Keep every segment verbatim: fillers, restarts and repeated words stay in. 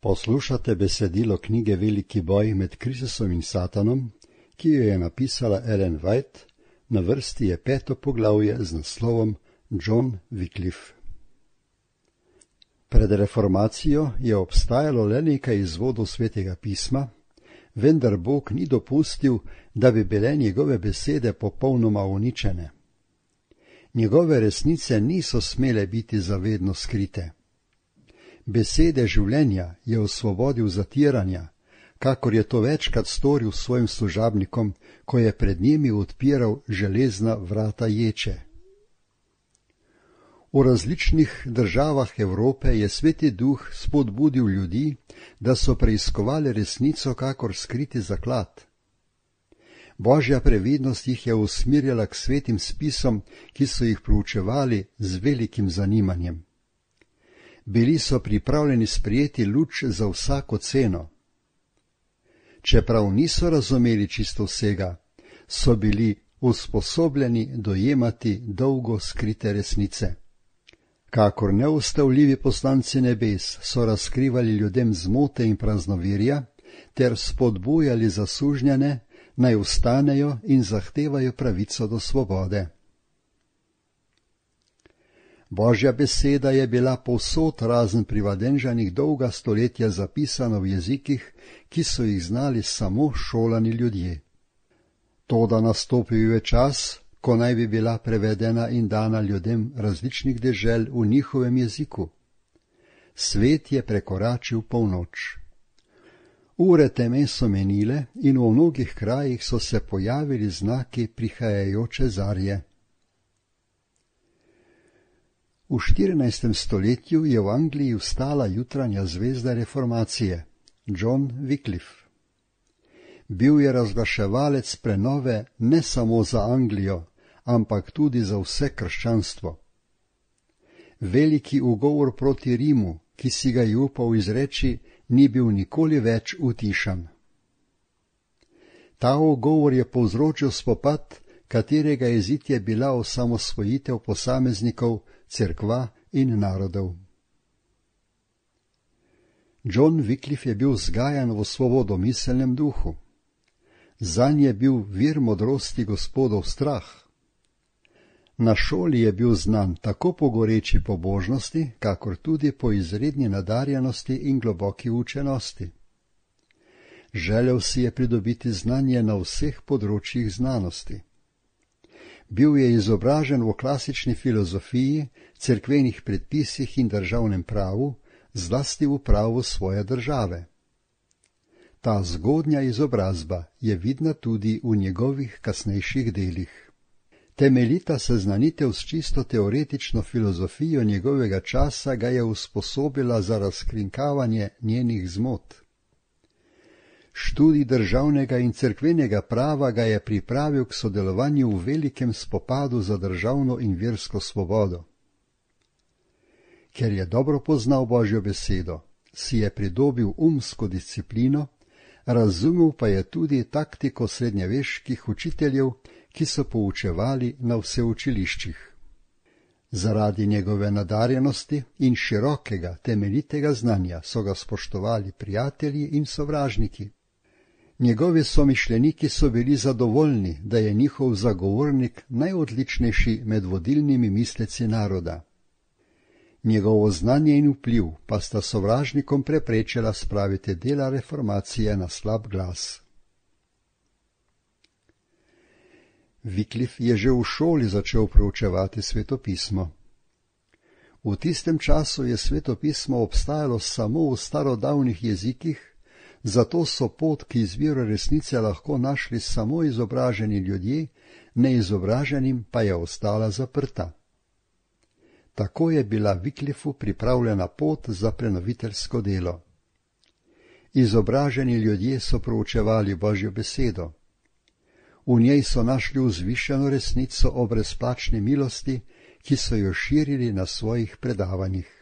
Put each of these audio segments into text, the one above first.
Poslušate besedilo knjige Veliki boj med Kristusom in Satanom, ki jo je napisala Ellen White, na vrsti je peto poglavje z naslovom John Wycliffe. Pred reformacijo je obstajalo le nekaj izvodov Svetega pisma, vendar Bog ni dopustil, da bi bile njegove besede popolnoma uničene. Njegove resnice niso smele biti zavedno skrite. Besede življenja je osvobodil zatiranja, kakor je to večkrat storil svojim služabnikom, ko je pred njimi odpiral železna vrata ječe. V različnih državah Evrope je Sveti Duh spodbudil ljudi, da so preiskovali resnico kakor skriti zaklad. Božja previdnost jih je usmirjala k svetim spisom, ki so jih proučevali z velikim zanimanjem. Bili so pripravljeni sprejeti luč za vsako ceno. Čeprav niso razumeli čisto vsega, so bili usposobljeni dojemati dolgo skrite resnice. Kakor neustavljivi poslanci nebes so razkrivali ljudem zmote in praznovirja, ter spodbujali zasužnjene, naj vstanejo in zahtevajo pravico do svobode. Božja beseda je bila povsod razen pri Vadenžanih dolga stoletja zapisana v jezikih, ki so jih znali samo šolani ljudje. Toda nastopil je čas, ko naj bi bila prevedena in dana ljudem različnih dežel v njihovem jeziku. Svet je prekoračil polnoč. Ure teme so menile in v mnogih krajih so se pojavili znaki prihajajoče zarje. V štirinajstem stoletju je v Angliji vstala jutranja zvezda reformacije, John Wycliffe. Bil je razglaševalec prenove ne samo za Anglijo, ampak tudi za vse krščanstvo. Veliki ugovor proti Rimu, ki si ga je upal izreči, ni bil nikoli več utišan. Ta ugovor je povzročil spopad, katerega izid je bila osamosvojitev posameznikov, cerkva in narodov. John Wycliffe je bil vzgajan v svobodomiselnem duhu. Zanj je bil vir modrosti Gospodov strah. Na šoli je bil znan tako po goreči pobožnosti, kakor tudi po izredni nadarjenosti in globoki učenosti. Želel si je pridobiti znanje na vseh področjih znanosti. Bil je izobražen v klasični filozofiji, cerkvenih predpisih in državnem pravu, zlasti v pravu svoje države. Ta zgodnja izobrazba je vidna tudi v njegovih kasnejših delih. Temeljita seznanitev s čisto teoretično filozofijo njegovega časa ga je usposobila za razkrinkavanje njenih zmot. Študij državnega in cerkvenega prava ga je pripravil k sodelovanju v velikem spopadu za državno in versko svobodo. Ker je dobro poznal Božjo besedo, si je pridobil umsko disciplino, razumel pa je tudi taktiko srednjeveških učiteljev, ki so poučevali na vseučiliščih. Zaradi njegove nadarjenosti in širokega, temeljitega znanja so ga spoštovali prijatelji in sovražniki. Njegovi somišljeniki so bili zadovoljni, da je njihov zagovornik najodličnejši med vodilnimi misleci naroda. Njegovo znanje in vpliv pa sta sovražnikom preprečila spraviti dela reformacije na slab glas. Wycliffe je že v šoli začel proučevati svetopismo. V tistem času je svetopismo obstajalo samo v starodavnih jezikih, zato so pot k izviru resnice lahko našli samo izobraženi ljudje, neizobraženim pa je ostala zaprta. Tako je bila Wycliffeu pripravljena pot za prenoviteljsko delo. Izobraženi ljudje so proučevali Božjo besedo. V njej so našli vzvišeno resnico o brezplačni milosti, ki so jo širili na svojih predavanjih.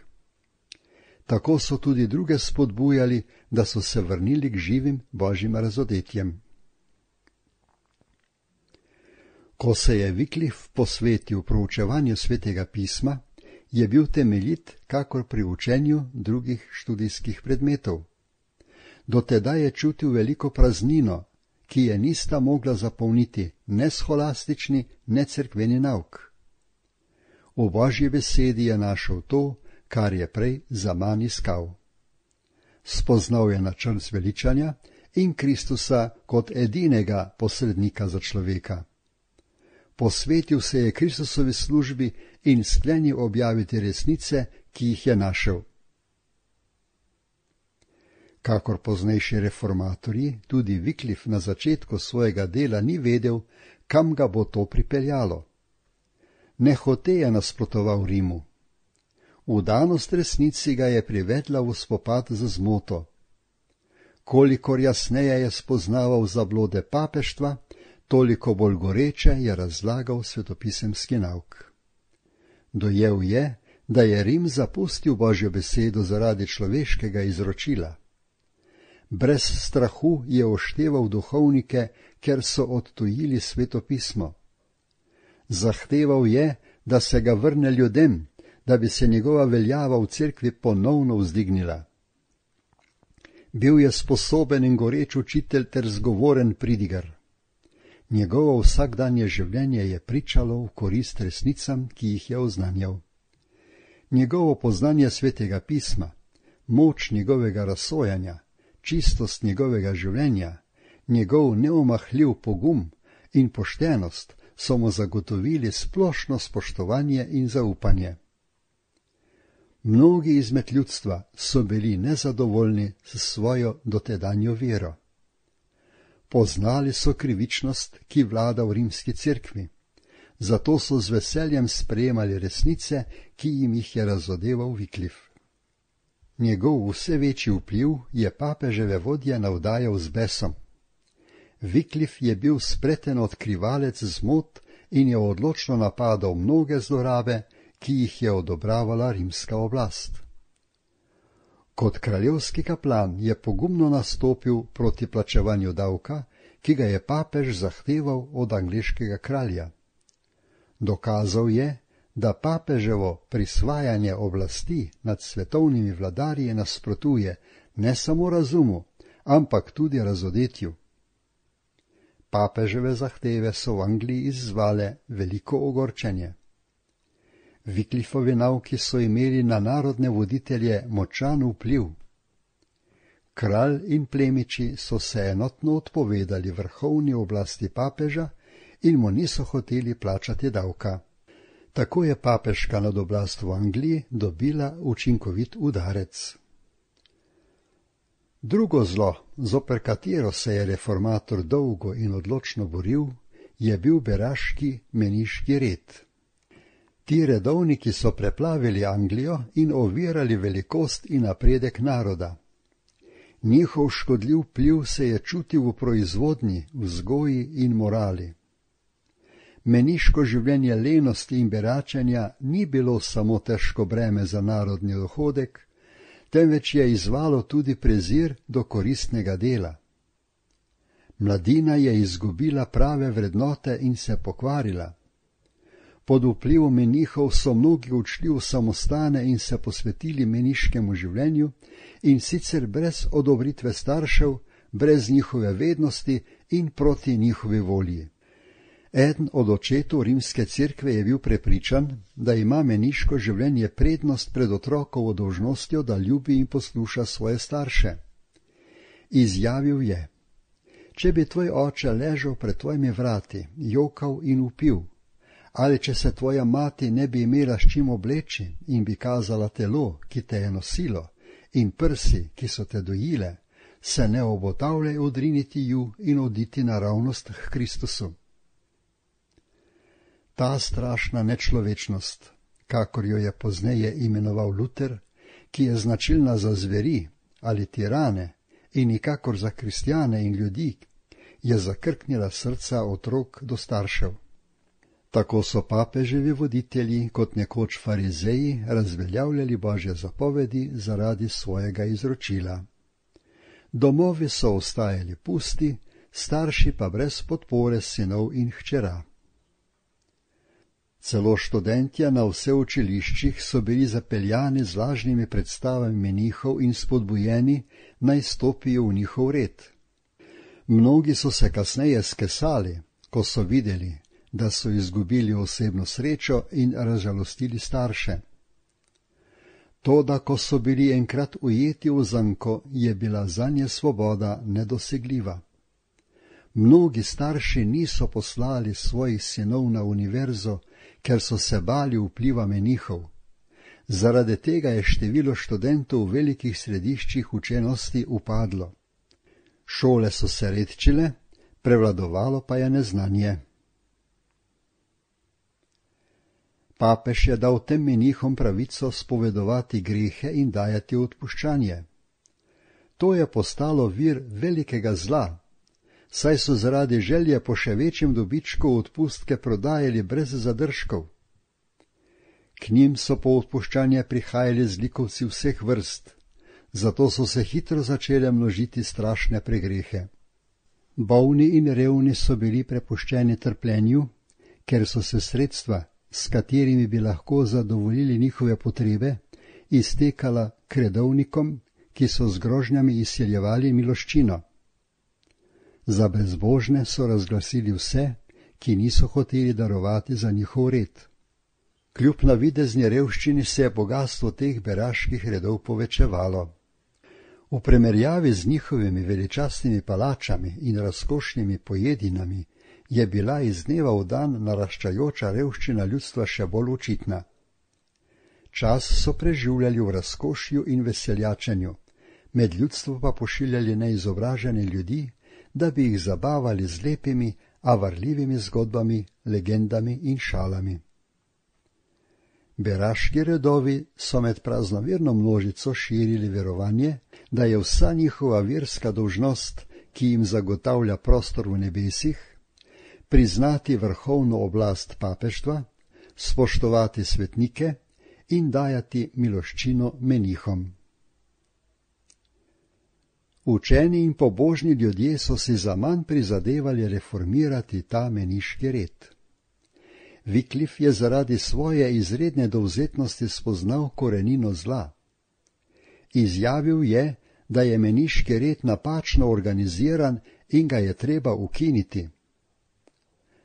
Tako so tudi druge spodbujali, da so se vrnili k živim Božjim razodetjem. Ko se je Wycliffe posvetil proučevanju Svetega pisma, je bil temeljit kakor pri učenju drugih študijskih predmetov, Do tedaj je čutil veliko praznino, ki je nista mogla zapolniti ne scholastični, ne cerkveni nauk. V Božji besedi je našel to, kar je prej zaman iskal. Spoznal je načrt zveličanja in Kristusa kot edinega posrednika za človeka. Posvetil se je Kristusovi službi in sklenil objaviti resnice, ki jih je našel. Kakor poznejši reformatorji, tudi Wycliffe na začetku svojega dela ni vedel, kam ga bo to pripeljalo. Nehote je nasprotoval Rimu. Vdanost resnici ga je privedla v spopad z zmoto. Kolikor jasneje je spoznaval zablode papeštva, toliko bolj goreče je razlagal svetopisemski nauk. Dojel je, da je Rim zapustil Božjo besedo zaradi človeškega izročila. Brez strahu je ošteval duhovnike, ker so odtujili svetopismo. Zahteval je, da se ga vrne ljudem, da bi se njegova veljava v cerkvi ponovno vzdignila. Bil je sposoben in goreč učitelj ter zgovoren pridigar. Njegovo vsakdanje življenje je pričalo v korist resnicam, ki jih je oznanjal. Njegovo poznanje svetega pisma, moč njegovega razsojanja, čistost njegovega življenja, njegov neomahljiv pogum in poštenost so mu zagotovili splošno spoštovanje in zaupanje. Mnogi izmed ljudstva so bili nezadovoljni s svojo dotedanjo vero. Poznali so krivičnost, ki vlada v rimski cerkvi, zato so z veseljem sprejemali resnice, ki jim jih je razodeval Wycliffe. Njegov vse večji vpliv je papeževe vodje navdajal z besom. Wycliffe je bil spreten odkrivalec zmot in je odločno napadal mnoge zlorabe, ki jih je odobravala rimska oblast. Kot kraljevski kaplan je pogumno nastopil proti plačevanju davka, ki ga je papež zahteval od angleškega kralja. Dokazal je, da papeževo prisvajanje oblasti nad svetovnimi vladarji nasprotuje ne samo razumu, ampak tudi razodetju. Papeževe zahteve so v Angliji izzvale veliko ogorčenje. Wycliffovi nauki so imeli na narodne voditelje močan vpliv. Kralj in plemiči so se enotno odpovedali vrhovni oblasti papeža in mu niso hoteli plačati davka. Tako je papeška nadoblast v Angliji dobila učinkovit udarec. Drugo zlo, zoper katero se je reformator dolgo in odločno boril, je bil beraški meniški red. Ti redovniki so preplavili Anglijo in ovirali velikost in napredek naroda. Njihov škodljiv vpliv se je čutil v proizvodnji, vzgoji in morali. Meniško življenje lenosti in beračenja ni bilo samo težko breme za narodni dohodek, temveč je izzvalo tudi prezir do koristnega dela. Mladina je izgubila prave vrednote in se pokvarila. Pod vplivom menihov so mnogi odšli v samostane in se posvetili meniškemu življenju, in sicer brez odobritve staršev, brez njihove vednosti in proti njihovi volji. Eden od očetov rimske cerkve je bil prepričan, da ima meniško življenje prednost pred otrokovo dolžnostjo, da ljubi in posluša svoje starše. Izjavil je: če bi tvoj oče ležal pred tvojimi vrati, jokal in vpil, ali če se tvoja mati ne bi imela s čim obleči in bi kazala telo, ki te je nosilo, in prsi, ki so te dojile, se ne obotavljaj odriniti ju in oditi naravnost k Kristusu. Ta strašna nečlovečnost, kakor jo je pozneje imenoval Luter, ki je značilna za zveri ali tirane in nikakor za kristjane in ljudi, je zakrknila srca otrok do staršev. Tako so papeževi voditelji kot nekoč farizeji razveljavljali Božje zapovedi zaradi svojega izročila. Domovi so ostajali pusti, starši pa brez podpore sinov in hčera. Celo študentje na vse učiliščih so bili zapeljani z lažnimi predstavami menihov in spodbujeni, naj stopijo v njihov red. Mnogi so se kasneje skesali, ko so videli, da so izgubili osebno srečo in razžalostili starše. Toda, ko so bili enkrat ujeti v zanko, je bila zanje svoboda nedosegljiva. Mnogi starši niso poslali svojih sinov na univerzo, ker so se bali vpliva menihov. Zaradi tega je število študentov v velikih središčih učenosti upadlo. Šole so se redčile, prevladovalo pa je neznanje. Papež je dal tem menihom pravico spovedovati grehe in dajati odpuščanje. To je postalo vir velikega zla, saj so zaradi želje po še večjem dobičku odpustke prodajali brez zadržkov. K njim so po odpuščanje prihajali zlikovci vseh vrst, zato so se hitro začele množiti strašne pregrehe. Bolni in revni so bili prepuščeni trpljenju, ker so se sredstva, s katerimi bi lahko zadovoljili njihove potrebe, iztekala k redovnikom, ki so z grožnjami izsiljevali miloščino. Za brezbožne so razglasili vse, ki niso hoteli darovati za njihov red. Kljub navidezni revščini se je bogastvo teh beraških redov povečevalo. V primerjavi z njihovimi veličastnimi palačami in razkošnimi pojedinami je bila iz dneva v dan naraščajoča revščina ljudstva še bolj očitna. Čas so preživljali v razkošju in veseljačenju, med ljudstvo pa pošiljali neizobražene ljudi, da bi jih zabavali z lepimi, a varljivimi zgodbami, legendami in šalami. Beraški redovi so med praznoverno množico širili verovanje, da je vsa njihova verska dolžnost, ki jim zagotavlja prostor v nebesih, priznati vrhovno oblast papeštva, spoštovati svetnike in dajati miloščino menihom. Učeni in pobožni ljudje so si zaman prizadevali reformirati ta meniški red. Wyclif je zaradi svoje izredne dovzetnosti spoznal korenino zla. Izjavil je, da je meniški red napačno organiziran in ga je treba ukiniti.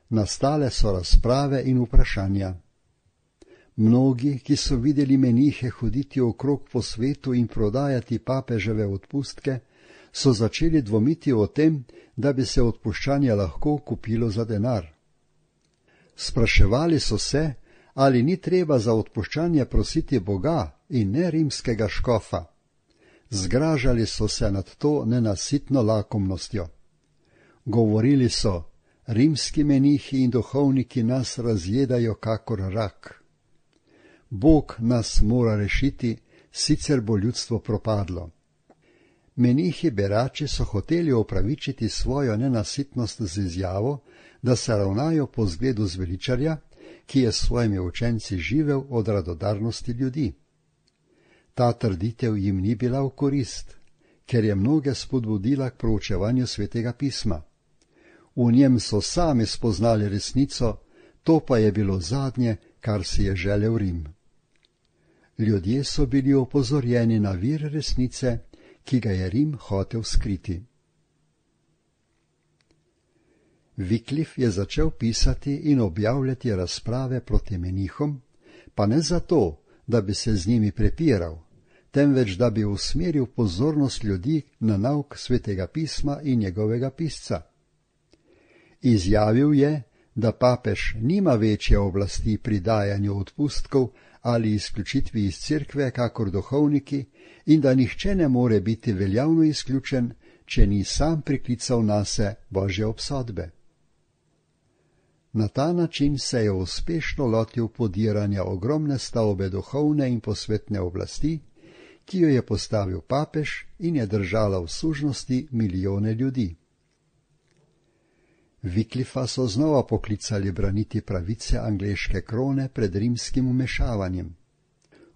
Nastale so razprave in vprašanja. Mnogi, ki so videli menihe hoditi okrog po svetu in prodajati papeževe odpustke, so začeli dvomiti o tem, da bi se odpuščanje lahko kupilo za denar. Spraševali so se, ali ni treba za odpuščanje prositi Boga in ne rimskega škofa. Zgražali so se nad to nenasitno lakomnostjo. Govorili so, rimski menihi in duhovniki nas razjedajo kakor rak. Bog nas mora rešiti, sicer bo ljudstvo propadlo. Menihi berači so hoteli opravičiti svojo nenasitnost z izjavo, da se ravnajo po zgledu zveličarja, ki je s svojimi učenci živel od radodarnosti ljudi. Ta trditev jim ni bila v korist, ker je mnoge spodbudila k proučevanju Svetega pisma. V njem so sami spoznali resnico, to pa je bilo zadnje, kar si je želel Rim. Ljudje so bili opozorjeni na vir resnice, ki ga je Rim hotel skriti. Wyclif je začel pisati in objavljati razprave proti menihom, pa ne zato, da bi se z njimi prepiral, temveč da bi usmeril pozornost ljudi na nauk Svetega pisma in njegovega pisca. Izjavil je, da papež nima večje oblasti pri dajanju odpustkov ali izključitvi iz cerkve kakor duhovniki in da nihče ne more biti veljavno izključen, če ni sam priklical nase Božje obsodbe. Na ta način se je uspešno lotil podiranja ogromne stavbe duhovne in posvetne oblasti, ki jo je postavil papež in je držala v sužnosti milijone ljudi. Wyclifa so znova poklicali braniti pravice angleške krone pred rimskim vmešavanjem.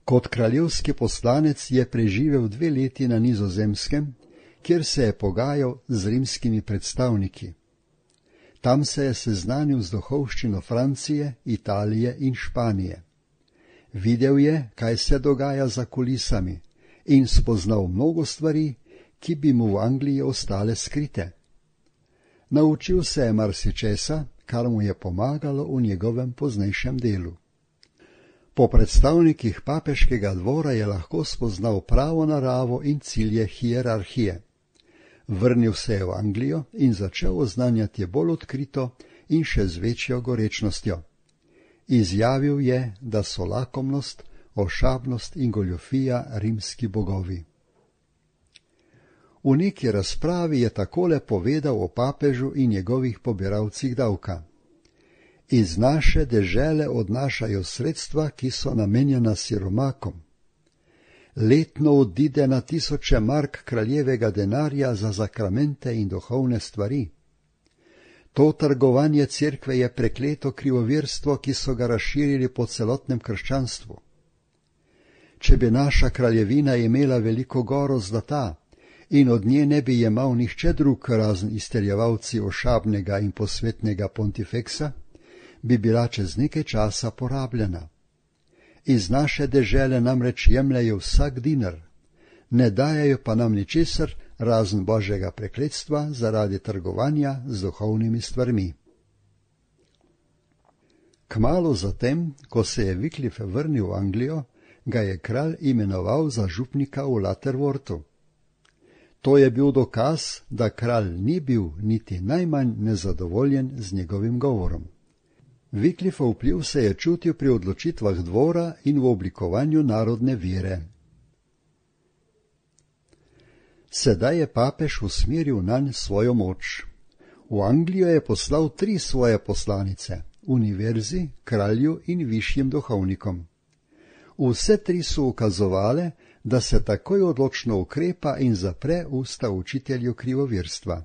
Kot kraljevski poslanec je preživel dve leti na Nizozemskem, kjer se je pogajal z rimskimi predstavniki. Tam se je seznanil z duhovščino Francije, Italije in Španije. Videl je, kaj se dogaja za kulisami, in spoznal mnogo stvari, ki bi mu v Angliji ostale skrite. Naučil se je marsičesa, kar mu je pomagalo v njegovem poznejšem delu. Po predstavnikih papeškega dvora je lahko spoznal pravo naravo in cilje hierarhije. Vrnil se je v Anglijo in začel oznanjati bolj odkrito in še z večjo gorečnostjo. Izjavil je, da so lakomnost, ošabnost in goljofija rimski bogovi. V neki razpravi je takole povedal o papežu in njegovih pobiralcih davka. Iz naše dežele odnašajo sredstva, ki so namenjena siromakom. Letno odide na tisoče mark kraljevega denarja za zakramente in duhovne stvari. To trgovanje cerkve je prekleto krivovirstvo, ki so ga razširili po celotnem krščanstvu. Če bi naša kraljevina imela veliko goro zlata in od nje ne bi jemal nihče drug razen izterjevalci ošabnega in posvetnega pontifeksa, bi bila čez nekaj časa porabljena. Iz naše dežele namreč jemljajo vsak dinar, ne dajajo pa nam ničesar razen božjega prekletstva zaradi trgovanja z duhovnimi stvarmi. Kmalu zatem, ko se je Wycliffe vrnil v Anglijo, ga je kralj imenoval za župnika v Lutterworthu. To je bil dokaz, da kralj ni bil niti najmanj nezadovoljen z njegovim govorom. Wycliffeov vpliv se je čutil pri odločitvah dvora in v oblikovanju narodne vere. Sedaj je papež usmeril nanj svojo moč. V Anglijo je poslal tri svoje poslanice, univerzi, kralju in višjim duhovnikom. Vse tri so ukazovale, da se takoj odločno ukrepa in zapre usta učitelju krivovirstva.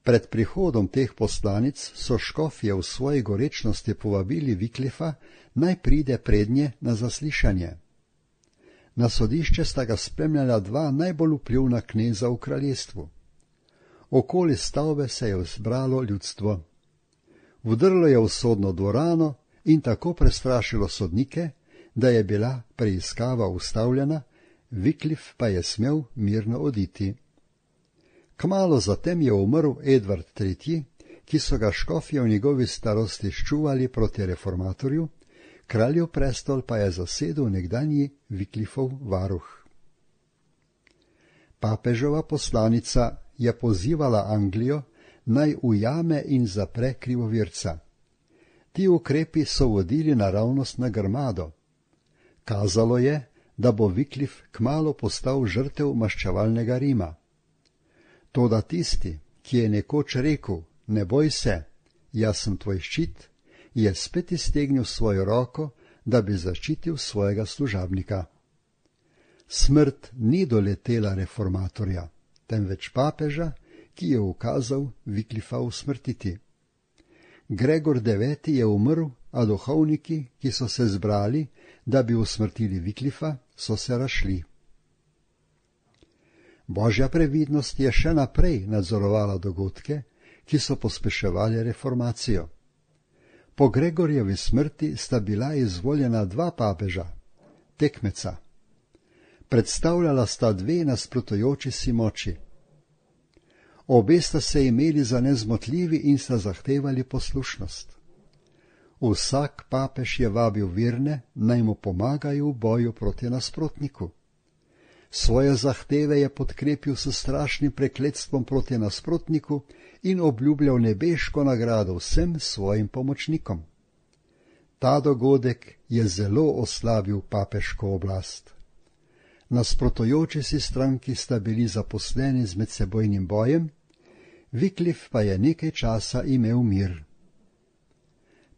Pred prihodom teh poslanic so škofje v svoji gorečnosti povabili Wycliffa, naj pride prednje na zaslišanje. Na sodišče sta ga spremljala dva najbolj vplivna kneza v kraljestvu. Okoli stavbe se je zbralo ljudstvo. Vdrlo je v sodno dvorano in tako prestrašilo sodnike, da je bila preiskava ustavljena, Wycliffe pa je smel mirno oditi. Kmalu zatem je umrl Edvard tretji, ki so ga škofje v njegovi starosti ščuvali proti reformatorju, kraljev prestol pa je zasedel nekdanji Wycliffov varuh. Papežova poslanica je pozivala Anglijo, naj ujame in zapre krivovirca. Ti ukrepi so vodili naravnost na grmado. Kazalo je, da bo Wycliffe kmalu postal žrtev maščevalnega Rima. Toda tisti, ki je nekoč rekel, ne boj se, jaz sem tvoj ščit, je spet iztegnil svojo roko, da bi zaščitil svojega služabnika. Smrt ni doletela reformatorja, temveč papeža, ki je ukazal Wycliffa usmrtiti. Gregor deveti je umrl, a duhovniki, ki so se zbrali, da bi usmrtili Wycliffa, so se razšli. Božja previdnost je še naprej nadzorovala dogodke, ki so pospeševali reformacijo. Po Gregorjevi smrti sta bila izvoljena dva papeža, tekmeca. Predstavljala sta dve nasprotujoči si moči. Obe sta se imeli za nezmotljivi in sta zahtevali poslušnost. Vsak papež je vabil verne, naj mu pomagajo v boju proti nasprotniku. Svoje zahteve je podkrepil s strašnim prekletstvom proti nasprotniku in obljubljal nebeško nagrado vsem svojim pomočnikom. Ta dogodek je zelo oslabil papeško oblast. Nasprotujoči si stranki sta bili zaposleni z medsebojnim bojem, Wycliffe pa je nekaj časa imel mir.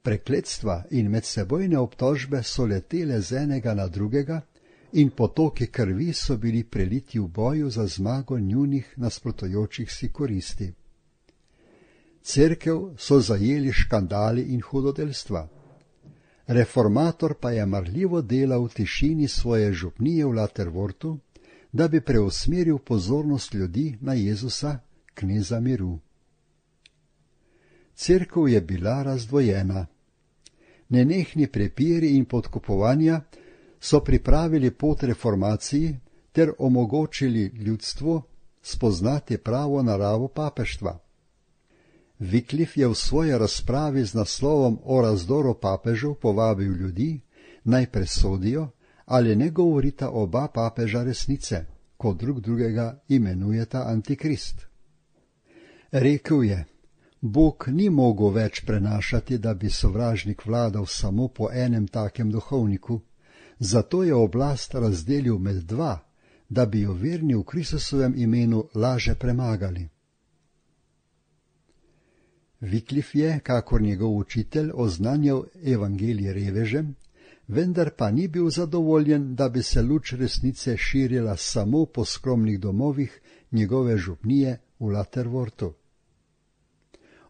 Prekletstva in medsebojne obtožbe so letele z enega na drugega in potoki krvi so bili preliti v boju za zmago njunih nasprotujočih si koristi. Cerkev so zajeli škandali in hudodelstva. Reformator pa je marljivo delal v tišini svoje župnije v Lutterworthu, da bi preusmeril pozornost ljudi na Jezusa, kneza miru. Cerkev je bila razdvojena. Nenehni prepiri in podkupovanja so pripravili pot reformaciji ter omogočili ljudstvu spoznati pravo naravo papeštva. Wycliffe je v svoji razpravi z naslovom o razdoru papežev povabil ljudi, naj presodijo, ali ne govorita oba papeža resnice, ko drug drugega imenujeta Antikrist. Rekel je, Bog ni mogel več prenašati, da bi sovražnik vladal samo po enem takem duhovniku, zato je oblast razdelil med dva, da bi jo verni v Kristusovem imenu laže premagali. Wycliffe je, kakor njegov učitelj, oznanjal evangelij revežem, vendar pa ni bil zadovoljen, da bi se luč resnice širila samo po skromnih domovih njegove župnije v Laterwortu.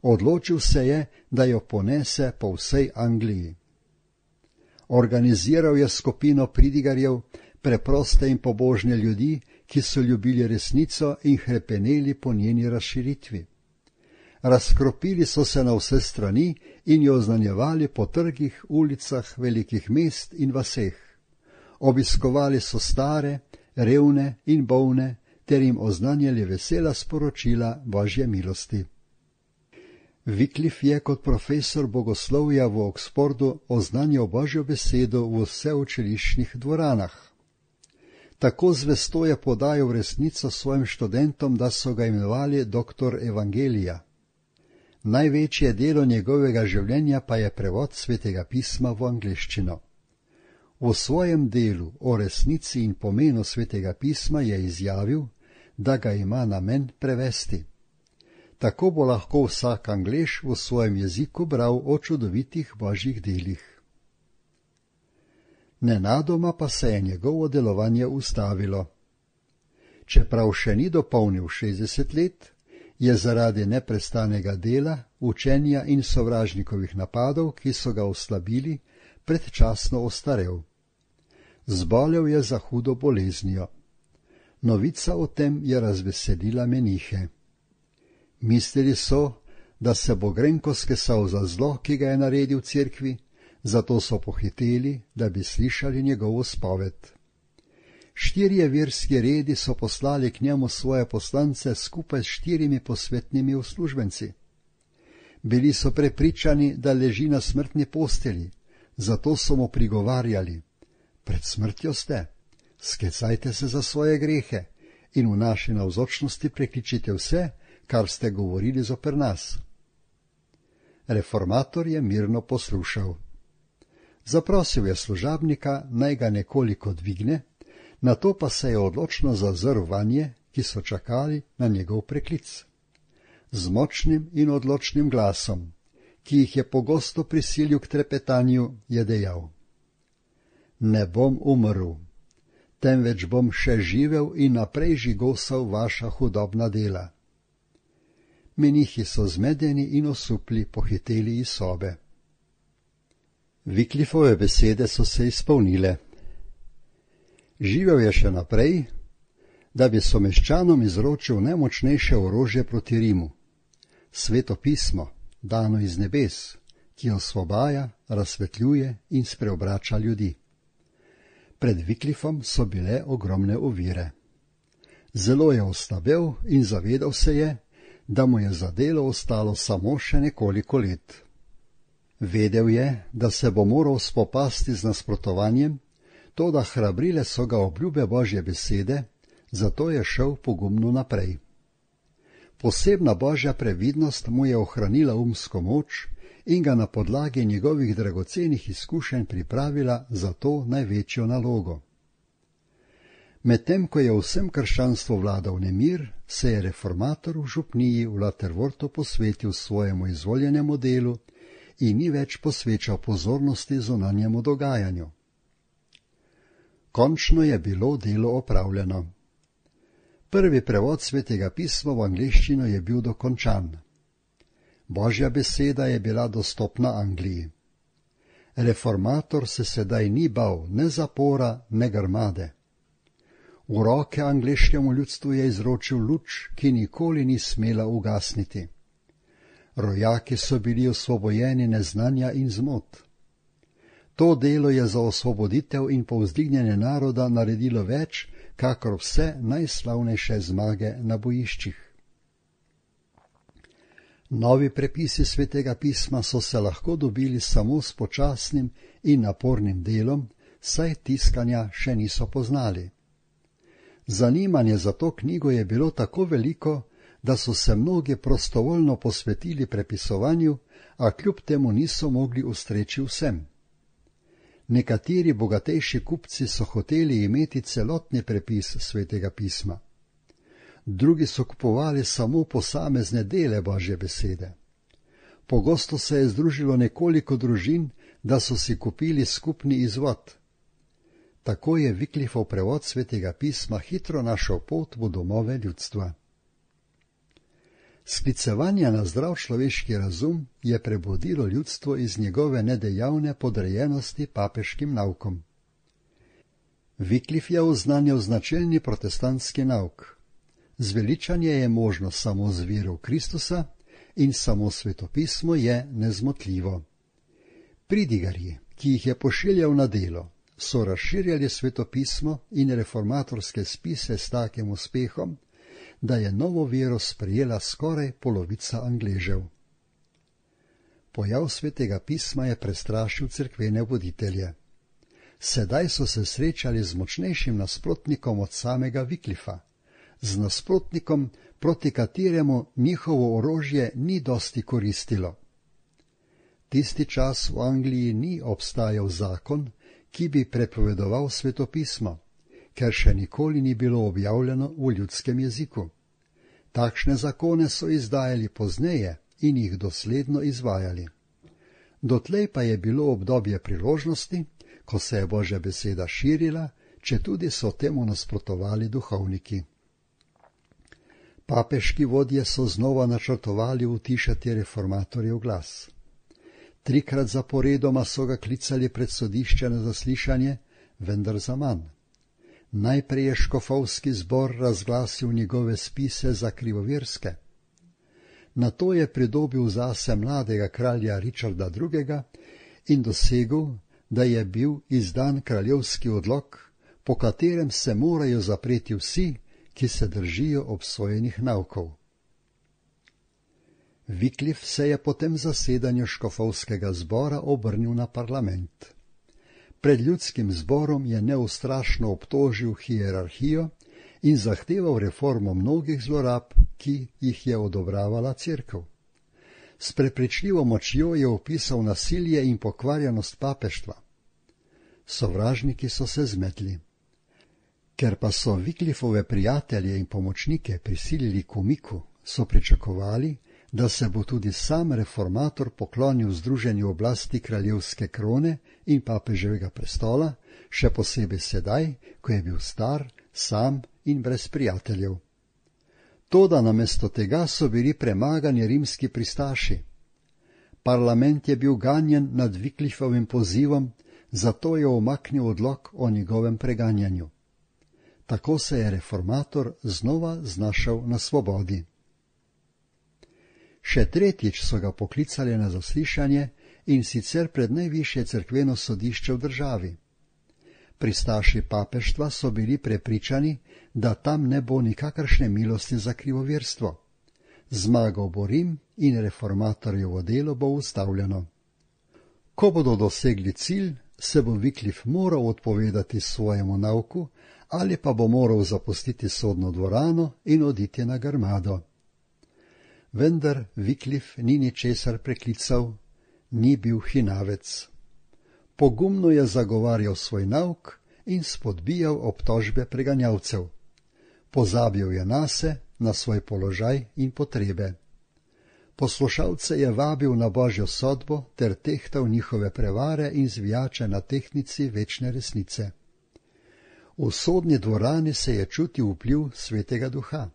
Odločil se je, da jo ponese po vsej Angliji. Organiziral je skupino pridigarjev, preproste in pobožne ljudi, ki so ljubili resnico in hrepeneli po njeni razširitvi. Razkropili so se na vse strani in jo oznanjevali po trgih, ulicah velikih mest in vaseh. Obiskovali so stare, revne in bolne, ter jim oznanjali vesela sporočila Božje milosti. Wycliffe je kot profesor bogoslovja v Oxfordu oznanjal Božjo besedo v vseučiliščnih dvoranah. Tako zvesto je podajal resnico svojim študentom, da so ga imenovali doktor evangelija. Največje delo njegovega življenja pa je prevod Svetega pisma v angleščino. V svojem delu o resnici in pomenu Svetega pisma je izjavil, da ga ima namen prevesti. Tako bo lahko vsak Anglež v svojem jeziku bral o čudovitih božjih delih. Nenadoma pa se je njegovo delovanje ustavilo. Čeprav še ni dopolnil šestdeset let, je zaradi neprestanega dela, učenja in sovražnikovih napadov, ki so ga oslabili, predčasno ostarel. Zbolel je za hudo boleznijo. Novica o tem je razveselila menihe. Mislili so, da se bo grenko skesal za zlo, ki ga je naredil cerkvi, zato so pohiteli, da bi slišali njegovo spoved. Štirje verski redi so poslali k njemu svoje poslance skupaj s štirimi posvetnimi uslužbenci. Bili so prepričani, da leži na smrtni posteli, zato so mu prigovarjali: pred smrtjo ste, skecajte se za svoje grehe in v naši navzočnosti prekličite vse, kar ste govorili zoper nas. Reformator je mirno poslušal. Zaprosil je služabnika, naj ga nekoliko dvigne, nato pa se je odločno zazrl vanje, ki so čakali na njegov preklic. Z močnim in odločnim glasom, ki jih je pogosto prisilil k trepetanju, je dejal: ne bom umrl, temveč bom še živel in naprej žigosal vaša hudobna dela. Menihi so zmedeni in osupli pohiteli iz sobe. Wycliffove besede so se izpolnile. Živel je še naprej, da bi someščanom izročil najmočnejše orožje proti Rimu, Sveto pismo, dano iz nebes, ki osvobaja, razsvetljuje in spreobrača ljudi. Pred Wycliffom so bile ogromne ovire. Zelo je ostabel in zavedal se je, da mu je za delo ostalo samo še nekoliko let. Vedel je, da se bo moral spopasti z nasprotovanjem, toda hrabrile so ga obljube Božje besede, zato je šel pogumno naprej. Posebna Božja previdnost mu je ohranila umsko moč in ga na podlagi njegovih dragocenih izkušenj pripravila za to največjo nalogo. Medtem ko je vsem krščanstvu vladal nemir, se je reformator v župniji v Laterwortu posvetil svojemu izvoljenemu delu in ni več posvečal pozornosti zunanjemu dogajanju. Končno je bilo delo opravljeno. Prvi prevod Svetega pisma v angleščino je bil dokončan. Božja beseda je bila dostopna Angliji. Reformator se sedaj ni bal ne zapora, ne grmade. V roke angleškemu ljudstvu je izročil luč, ki nikoli ni smela ugasniti. Rojaki so bili osvobojeni neznanja in zmot. To delo je za osvoboditev in povzdignjenje naroda naredilo več, kakor vse najslavnejše zmage na bojiščih. Novi prepisi Svetega pisma so se lahko dobili samo s počasnim in napornim delom, saj tiskanja še niso poznali. Zanimanje za to knjigo je bilo tako veliko, da so se mnogi prostovoljno posvetili prepisovanju, a kljub temu niso mogli ustreči vsem. Nekateri bogatejši kupci so hoteli imeti celotni prepis Svetega pisma. Drugi so kupovali samo posamezne dele Božje besede. Pogosto se je združilo nekoliko družin, da so si kupili skupni izvod. Tako je Wyclifov prevod Svetega pisma hitro našel pot v domove ljudstva. Sklicevanje na zdrav človeški razum je prebudilo ljudstvo iz njegove nedejavne podrejenosti papeškim naukom. Wyclif je oznanjal značilni protestantski nauk. Zveličanje je možno samo z vero v Kristusa in samo svetopismo je nezmotljivo. Pridigarji, ki jih je pošiljal na delo, so razširjali svetopismo in reformatorske spise s takim uspehom, da je novo vero sprejela skoraj polovica Angležev. Pojav Svetega pisma je prestrašil cerkvene voditelje. Sedaj so se srečali z močnejšim nasprotnikom od samega Wyclifa, z nasprotnikom, proti kateremu njihovo orožje ni dosti koristilo. Tisti čas v Angliji ni obstajal zakon, ki bi prepovedoval svetopismo, ker še nikoli ni bilo objavljeno v ljudskem jeziku. Takšne zakone so izdajali pozneje in jih dosledno izvajali. Dotlej pa je bilo obdobje priložnosti, ko se je Božja beseda širila, četudi so temu nasprotovali duhovniki. Papeški vodje so znova načrtovali utišati reformatorjev glas. Trikrat zaporedoma so ga klicali pred sodišče na zaslišanje, vendar zaman. Najprej je škofovski zbor razglasil njegove spise za krivoverske. Nato je pridobil zase mladega kralja Richarda drugega in dosegel, da je bil izdan kraljevski odlok, po katerem se morajo zapreti vsi, ki se držijo obsojenih naukov. Wyclif se je po tem zasedanju škofovskega zbora obrnil na parlament. Pred ljudskim zborom je neustrašno obtožil hierarhijo in zahteval reformo mnogih zlorab, ki jih je odobravala cerkev. S prepričljivo močjo je opisal nasilje in pokvarjenost papeštva. Sovražniki so se zmetli. Ker pa so Wyclifove prijatelje in pomočnike prisilili k umiku, so pričakovali, da se bo tudi sam reformator poklonil združenju oblasti kraljevske krone in papeževega prestola, še posebej sedaj, ko je bil star, sam in brez prijateljev. Toda namesto tega so bili premagani rimski pristaši. Parlament je bil ganjen nad Wyclifovim pozivom, zato je umaknil odlok o njegovem preganjanju. Tako se je reformator znova znašel na svobodi. Še tretjič so ga poklicali na zaslišanje in sicer pred najvišje cerkveno sodišče v državi. Pristaši papeštva so bili prepričani, da tam ne bo nikakršne milosti za krivoverstvo. Zmagal bo Rim in reformatorjevo delo bo ustavljeno. Ko bodo dosegli cilj, se bo Wyclif moral odpovedati svojemu nauku ali pa bo moral zapustiti sodno dvorano in oditi na grmado. Vendar Wyclif ni ničesar preklical, ni bil hinavec. Pogumno je zagovarjal svoj nauk in spodbijal obtožbe preganjalcev. Pozabil je nase, na svoj položaj in potrebe. Poslušalce je vabil na Božjo sodbo ter tehtal njihove prevare in zvijače na tehtnici večne resnice. V sodni dvorani se je čutil vpliv Svetega Duha.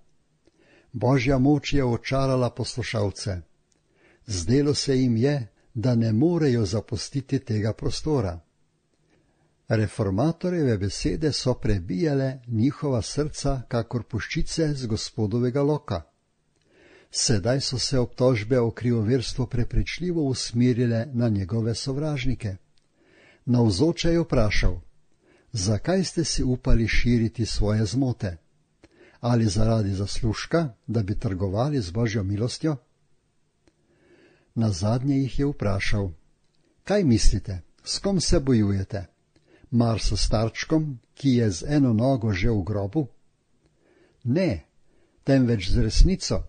Božja moč je očarala poslušalce. Zdelo se jim je, da ne morejo zapustiti tega prostora. Reformatorjeve besede so prebijale njihova srca kakor puščice z Gospodovega loka. Sedaj so se obtožbe o krivoverstvu prepričljivo usmerile na njegove sovražnike. Navzoče je vprašal: zakaj ste si upali širiti svoje zmote? Ali zaradi zaslužka, da bi trgovali z Božjo milostjo? Nazadnje jih je vprašal: kaj mislite, s kom se bojujete? Mar s starčkom, ki je z eno nogo že v grobu? Ne, temveč z resnico,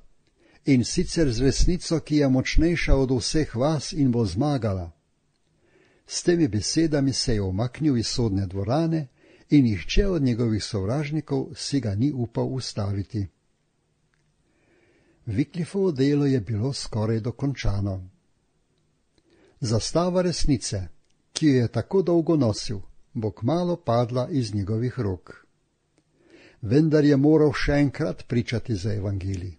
in sicer z resnico, ki je močnejša od vseh vas in bo zmagala. S temi besedami se je umaknil iz sodne dvorane in nihče od njegovih sovražnikov si ga ni upal ustaviti. Wycliffovo delo je bilo skoraj dokončano. Zastava resnice, ki jo je tako dolgo nosil, bo kmalu padla iz njegovih rok. Vendar je moral še enkrat pričati za evangelij.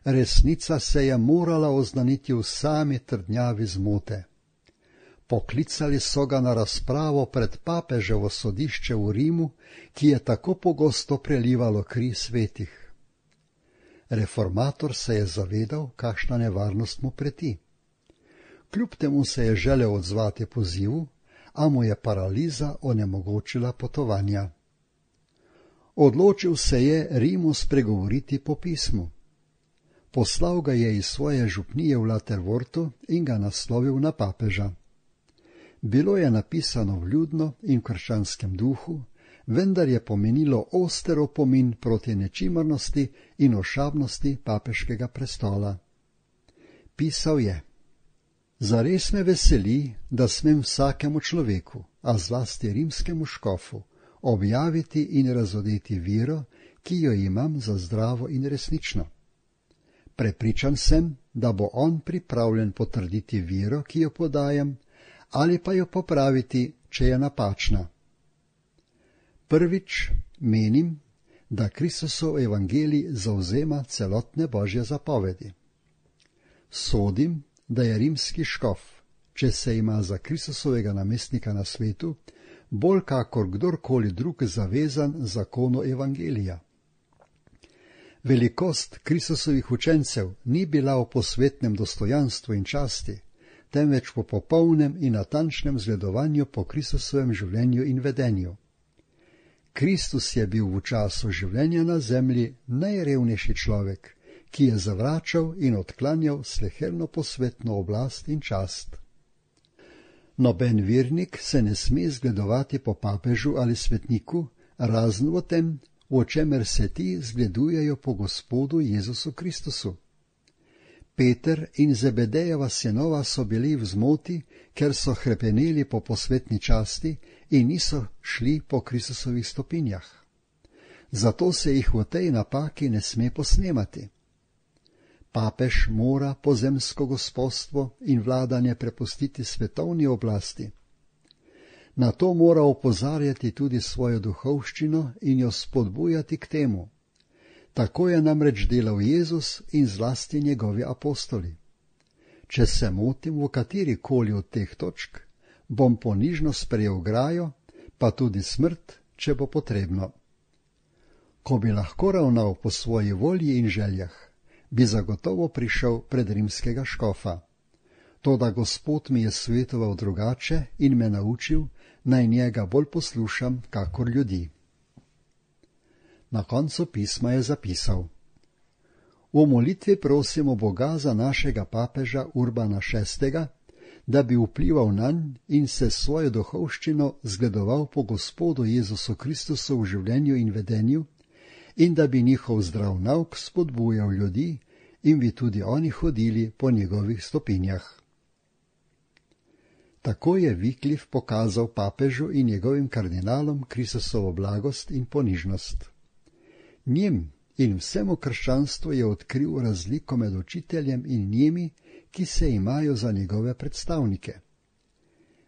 Resnica se je morala oznaniti v sami trdnjavi zmote. Poklicali so ga na razpravo pred papeževo sodišče v Rimu, ki je tako pogosto prelivalo kri svetih. Reformator se je zavedal, kakšna nevarnost mu preti. Kljub temu se je želel odzvati pozivu, a mu je paraliza onemogočila potovanja. Odločil se je Rimu spregovoriti po pismu. Poslal ga je iz svoje župnije v Laterwortu in ga naslovil na papeža. Bilo je napisano vljudno in v krščanskem duhu, vendar je pomenilo oster opomin proti nečimrnosti in ošabnosti papeškega prestola. Pisal je: zares me veseli, da smem vsakemu človeku, a zlasti rimskemu škofu, objaviti in razodeti vero, ki jo imam za zdravo in resnično. Prepričan sem, da bo on pripravljen potrditi vero, ki jo podajam, ali pa jo popraviti, če je napačna. Prvič, menim, da Kristusov evangelij zavzema celotne Božje zapovedi. Sodim, da je rimski škof, če se ima za Kristusovega namestnika na svetu, bolj kakor kdorkoli drug zavezan zakonu evangelija. Velikost Kristusovih učencev ni bila v posvetnem dostojanstvu in časti, temveč po popolnem in natančnem zgledovanju po Kristusovem življenju in vedenju. Kristus je bil v času življenja na zemlji najrevnejši človek, ki je zavračal in odklanjal sleherno posvetno oblast in čast. Noben vernik se ne sme zgledovati po papežu ali svetniku, razen v tem, v čemer se ti zgledujejo po Gospodu Jezusu Kristusu. Peter in Zebedejeva sinova so bili v zmoti, ker so hrepeneli po posvetni časti in niso šli po Kristusovih stopinjah. Zato se jih v tej napaki ne sme posnemati. Papež mora pozemsko gospodstvo in vladanje prepustiti svetovni oblasti. Na to mora opozarjati tudi svojo duhovščino in jo spodbujati k temu. Tako je namreč delal Jezus in zlasti njegovi apostoli. Če se motim v katerikoli od teh točk, bom ponižno sprejel grajo, pa tudi smrt, če bo potrebno. Ko bi lahko ravnal po svoji volji in željah, bi zagotovo prišel pred rimskega škofa. Toda Gospod mi je svetoval drugače in me naučil, naj njega bolj poslušam kakor ljudi. Na koncu pisma je zapisal: v molitvi prosimo Boga za našega papeža Urbana šestega, da bi vplival nanj in se svojo duhovščino zgledoval po Gospodu Jezusu Kristusu v življenju in vedenju, in da bi njihov zdrav nauk spodbujal ljudi in bi tudi oni hodili po njegovih stopinjah. Tako je Wyclif pokazal papežu in njegovim kardinalom Kristusovo blagost in ponižnost. Njim in vsemu krščanstvu je odkril razliko med učiteljem in njimi, ki se imajo za njegove predstavnike.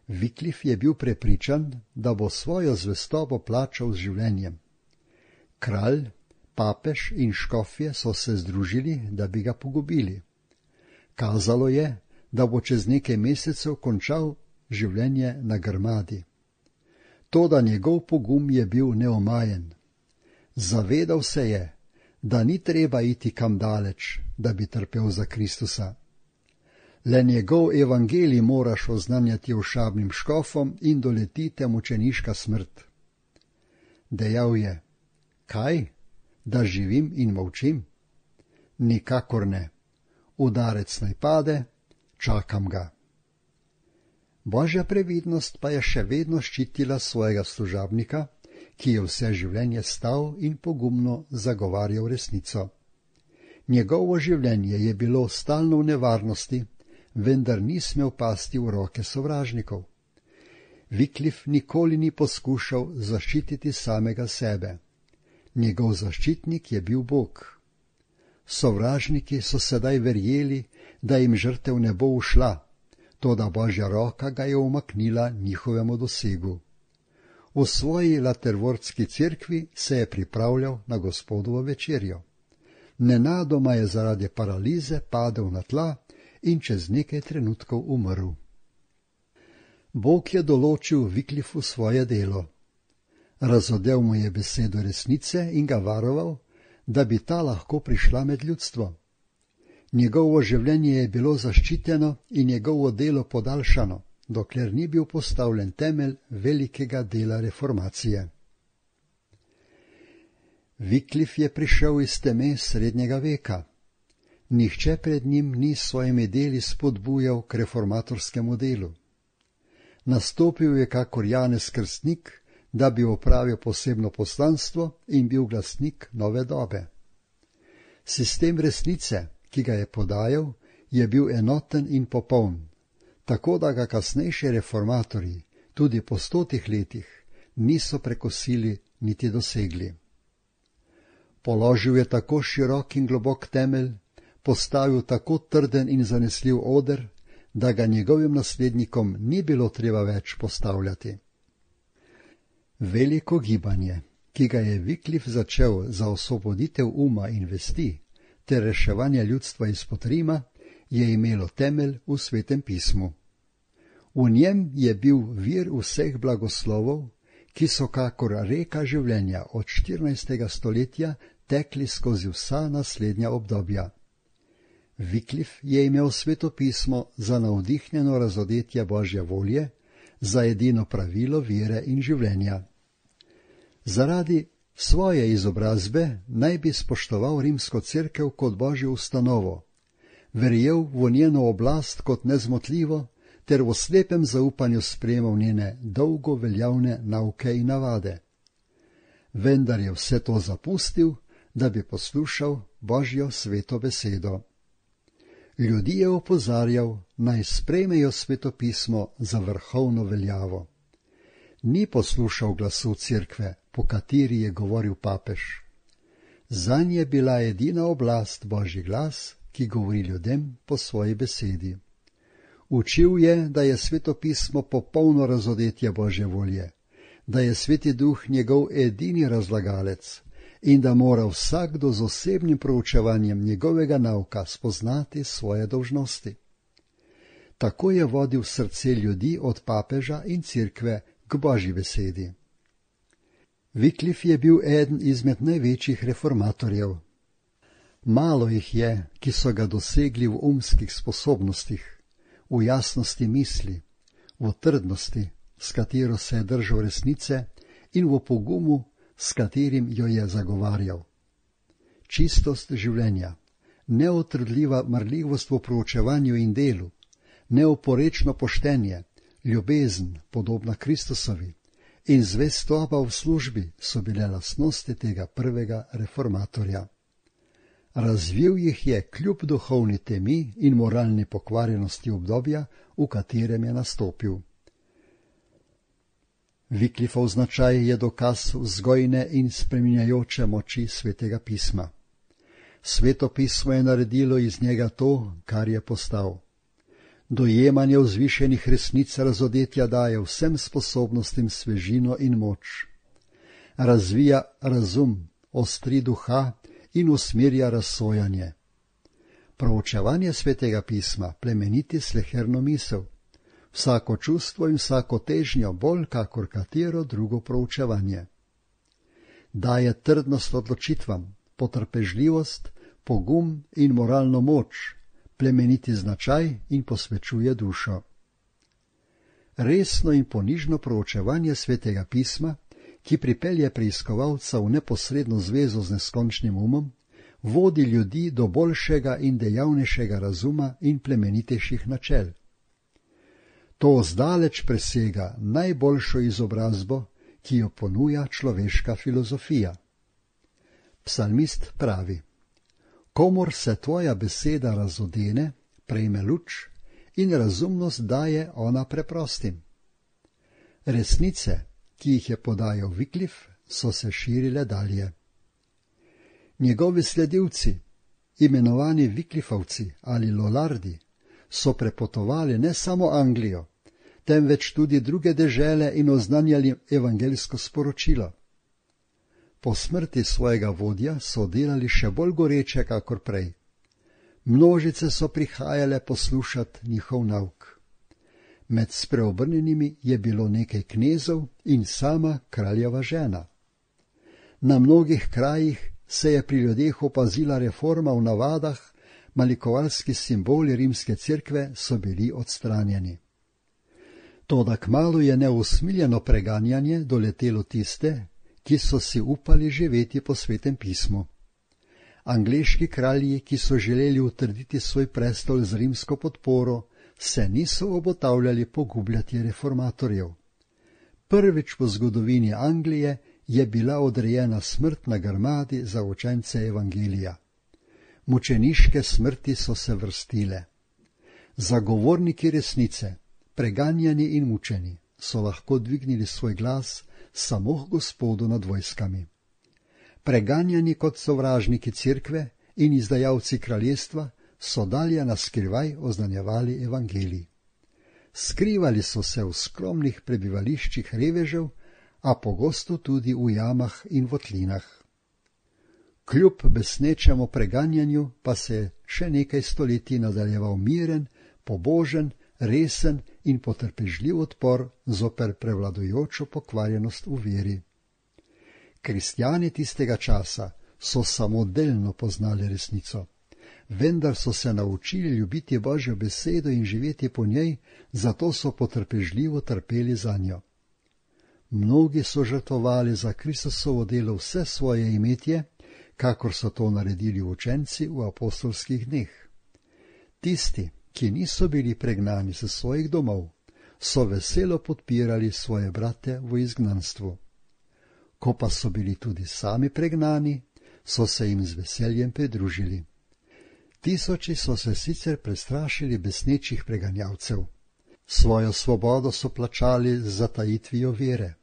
Wyclif je bil prepričan, da bo svojo zvestobo plačal z življenjem. Kralj, papež in škofje so se združili, da bi ga pogubili. Kazalo je, da bo čez nekaj mesecev končal življenje na grmadi. Toda njegov pogum je bil neomajen. Zavedal se je, da ni treba iti kam daleč, da bi trpel za Kristusa. Le njegov evangelij moraš oznanjati ošabnim škofom in doletite mučeniška smrt. Dejal je: kaj, da živim in molčim? Nikakor ne. Udarec naj pade, čakam ga. Božja previdnost pa je še vedno ščitila svojega služabnika, ki je vse življenje stal in pogumno zagovarjal resnico. Njegovo življenje je bilo stalno v nevarnosti, vendar ni smel pasti v roke sovražnikov. Wycliffe nikoli ni poskušal zaščititi samega sebe. Njegov zaščitnik je bil Bog. Sovražniki so sedaj verjeli, da jim žrtev ne bo ušla, toda Božja roka ga je umaknila njihovemu dosegu. V svoji latervortski cerkvi se je pripravljal na Gospodovo večerjo. Nenadoma je zaradi paralize padel na tla in čez nekaj trenutkov umrl. Bog je določil Wycliffu svoje delo. Razodel mu je besedo resnice in ga varoval, da bi ta lahko prišla med ljudstvo. Njegovo življenje je bilo zaščiteno in njegovo delo podaljšano, dokler ni bil postavljen temelj velikega dela reformacije. Wycliffe je prišel iz teme srednjega veka. Nihče pred njim ni s svojimi deli spodbujal k reformatorskemu delu. Nastopil je kakor Janez Krstnik, da bi opravil posebno poslanstvo in bil glasnik nove dobe. Sistem resnice, ki ga je podajal, je bil enoten in popoln, tako da ga kasnejši reformatorji, tudi po stotih letih, niso prekosili niti dosegli. Položil je tako širok in globok temelj, postavil tako trden in zanesljiv oder, da ga njegovim naslednikom ni bilo treba več postavljati. Veliko gibanje, ki ga je Wycliffe začel za osvoboditev uma in vesti ter reševanje ljudstva izpod Rima, je imelo temelj v Svetem pismu. V njem je bil vir vseh blagoslovov, ki so kakor reka življenja od štirinajstega stoletja tekli skozi vsa naslednja obdobja. Wycliffe je imel Sveto pismo za navdihnjeno razodetje Božje volje, za edino pravilo vere in življenja. Zaradi svoje izobrazbe naj bi spoštoval rimsko cerkev kot Božjo ustanovo, verjel v njeno oblast kot nezmotljivo ter v slepem zaupanju sprejemal njene dolgo veljavne nauke in navade. Vendar je vse to zapustil, da bi poslušal Božjo sveto besedo. Ljudi je opozarjal, naj sprejmejo Sveto pismo za vrhovno veljavo. Ni poslušal glasu cerkve, po kateri je govoril papež. Zanj je bila edina oblast Božji glas, ki govori ljudem po svoji besedi. Učil je, da je Sveto pismo popolno razodetje Božje volje, da je Sveti Duh njegov edini razlagalec in da mora vsakdo z osebnim proučevanjem njegovega nauka spoznati svoje dolžnosti. Tako je vodil srce ljudi od papeža in cerkve k Božji besedi. Wycliffe je bil eden izmed največjih reformatorjev. Malo jih je, ki so ga dosegli v umskih sposobnostih, v jasnosti misli, v trdnosti, s katero se je držal resnice, in v pogumu, s katerim jo je zagovarjal. Čistost življenja, neotrudljiva marljivost v proučevanju in delu, neoporečno poštenje, ljubezen, podobna Kristusovi, in zvestoba v službi so bile lastnosti tega prvega reformatorja. Razvil jih je kljub duhovni temi in moralni pokvarjenosti obdobja, v katerem je nastopil. Wycliffov značaj je dokaz vzgojne in spreminjajoče moči Svetega pisma. Sveto pismo je naredilo iz njega to, kar je postal. Dojemanje vzvišenih resnic razodetja daje vsem sposobnostim svežino in moč. Razvija razum, ostri duha in usmerja razsojanje. Proučevanje Svetega pisma plemeniti sleherno misel, vsako čustvo in vsako težnjo bolj kakor katero drugo proučevanje. Daje trdnost odločitvam, potrpežljivost, pogum in moralno moč, plemeniti značaj in posvečuje dušo. Resno in ponižno proučevanje Svetega pisma, ki pripelje preiskovalca v neposredno zvezo z neskončnim umom, vodi ljudi do boljšega in dejavnejšega razuma in plemenitejših načel. To zdaleč presega najboljšo izobrazbo, ki jo ponuja človeška filozofija. Psalmist pravi: komor se tvoja beseda razodene, prejme luč in razumnost daje ona preprostim. Resnice, ki jih je podajal Wycliffe, so se širile dalje. Njegovi sledilci, imenovani Wycliffovci ali Lollardi, so prepotovali ne samo Anglijo, temveč tudi druge dežele in oznanjali evangeljsko sporočilo. Po smrti svojega vodja so delali še bolj goreče kakor prej. Množice so prihajale poslušati njihov nauk. Med spreobrnjenimi je bilo nekaj knezov in sama kraljeva žena. Na mnogih krajih se je pri ljudeh opazila reforma v navadah, malikovalski simboli rimske cerkve so bili odstranjeni. Toda kmalu je neusmiljeno preganjanje doletelo tiste, ki so si upali živeti po Svetem pismu. Angleški kralji, ki so želeli utrditi svoj prestol z rimsko podporo, se niso obotavljali pogubljati reformatorjev. Prvič v zgodovini Anglije je bila odrejena smrt na grmadi za učence evangelija. Mučeniške smrti so se vrstile. Zagovorniki resnice, preganjani in mučeni, so lahko dvignili svoj glas samo Gospodu nad vojskami. Preganjani kot sovražniki cerkve in izdajalci kraljestva so dalje naskrivaj oznanjevali evangelij. Skrivali so se v skromnih prebivališčih revežev, a pogosto tudi v jamah in votlinah. Kljub besnečemu preganjanju pa se je še nekaj stoletij nadaljeval miren, pobožen, resen in potrpežljiv odpor zoper prevladujočo pokvarjenost v veri. Kristjani tistega časa so samo delno poznali resnico, vendar so se naučili ljubiti Božjo besedo in živeti po njej, zato so potrpežljivo trpeli za njo. Mnogi so žrtvovali za Kristusovo delo vse svoje imetje, kakor so to naredili učenci v apostolskih dneh. Tisti, ki niso bili pregnani s svojih domov, so veselo podpirali svoje brate v izgnanstvu. Ko pa so bili tudi sami pregnani, so se jim z veseljem pridružili. Tisoči so se sicer prestrašili besnečih preganjavcev. Svojo svobodo so plačali z zatajitvijo vere.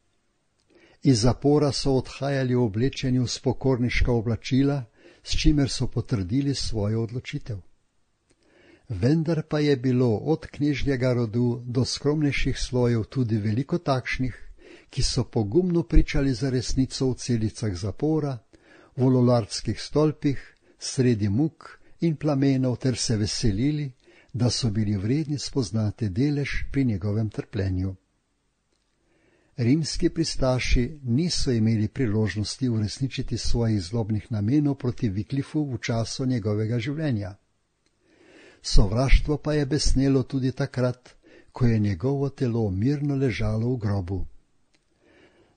Iz zapora so odhajali v oblečenju v spokorniška oblačila, s čimer so potrdili svojo odločitev. Vendar pa je bilo od knežjega rodu do skromnejših slojev tudi veliko takšnih, ki so pogumno pričali za resnico v celicah zapora, v lolardskih stolpih, sredi muk in plamenov ter se veselili, da so bili vredni spoznati delež pri njegovem trpljenju. Rimski pristaši niso imeli priložnosti uresničiti svojih zlobnih namenov proti Wycliffu v času njegovega življenja. Sovraštvo pa je besnelo tudi takrat, ko je njegovo telo mirno ležalo v grobu.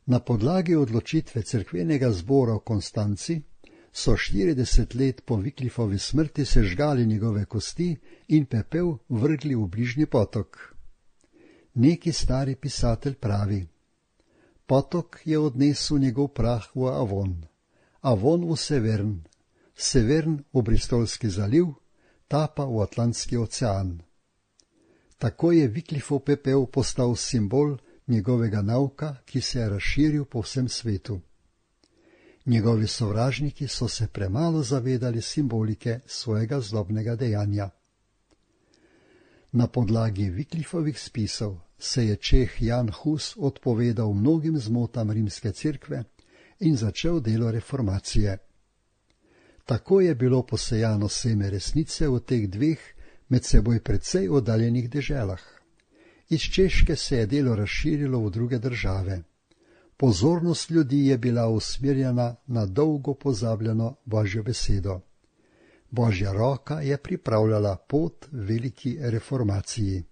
Na podlagi odločitve cerkvenega zbora v Konstanci so štirideset let po Wycliffovi smrti sežgali njegove kosti in pepel vrgli v bližnji potok. Neki stari pisatelj pravi: potok je odnesel njegov prah v Avon, Avon v Severn, Severn v Bristolski zaliv, ta pa v Atlantski ocean. Tako je Wycliffov pepel postal simbol njegovega nauka, ki se je razširil po vsem svetu. Njegovi sovražniki so se premalo zavedali simbolike svojega zlobnega dejanja. Na podlagi Wycliffovih spisov se je Čeh Jan Hus odpovedal mnogim zmotam rimske cerkve in začel delo reformacije. Tako je bilo posejano seme resnice v teh dveh med seboj precej oddaljenih deželah. Iz Češke se je delo razširilo v druge države. Pozornost ljudi je bila usmerjena na dolgo pozabljeno Božjo besedo. Božja roka je pripravljala pot veliki reformaciji.